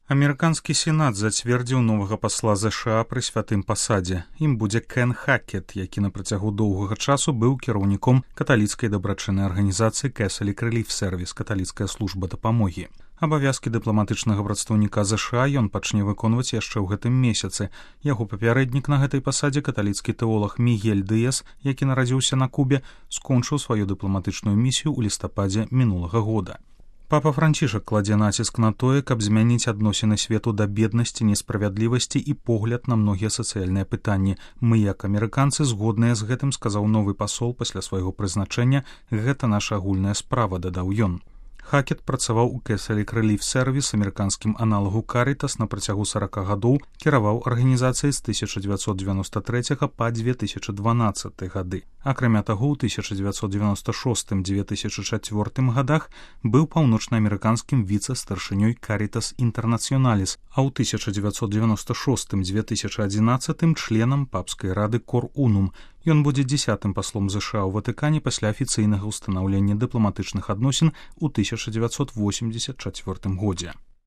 Амерыканскі сенат зацвердзіў новага пасла ЗША пры святым пасадзе. Ім будзе Кен Хакет, які на працягу доўгага часу быў кіраўніком каталіцкай дабрачыннай арганізацыі Catholic Relief Service, каталіцкая служба дапамогі. Абавязкі дыпламатычнага прадстаўніка ЗША ён пачне выконваць яшчэ ў гэтым месяцы. Яго папярэднік на гэтай пасадзе, каталіцкі тэолаг Мігель Дыяс, які нарадзіўся на Кубе, скончыў сваю дыпламатычную місію ў лістападзе мінулага года. Папа Францішак кладзе націск на тое, каб змяніць адносіны свету да беднасці, несправядлівасці і погляд на многія сацыяльныя пытанні. Мы, як амерыканцы, згодныя з гэтым, сказаў новы пасол пасля свайго прызначэння. Гэта наша агульная справа, дадаў ён. Хакет працаваў у Catholic Relief Service, амерыканскім аналагу Caritas, на працягу 40 гадоў, кіраваў арганізацыяй з 1993 па 2012 гады. Акрамя таго, ў 1996-2004 гадах быў паўночнаамерыканскім віцэ-старшынёй Caritas Internationalis, а ў 1996-2011 членам папскай рады Cor Unum. Ён будзе 10-м паслом ЗША ў Ватыкане пасля афіцыйнага ўстанаўлення дыпламатычных адносін у 1984 годзе.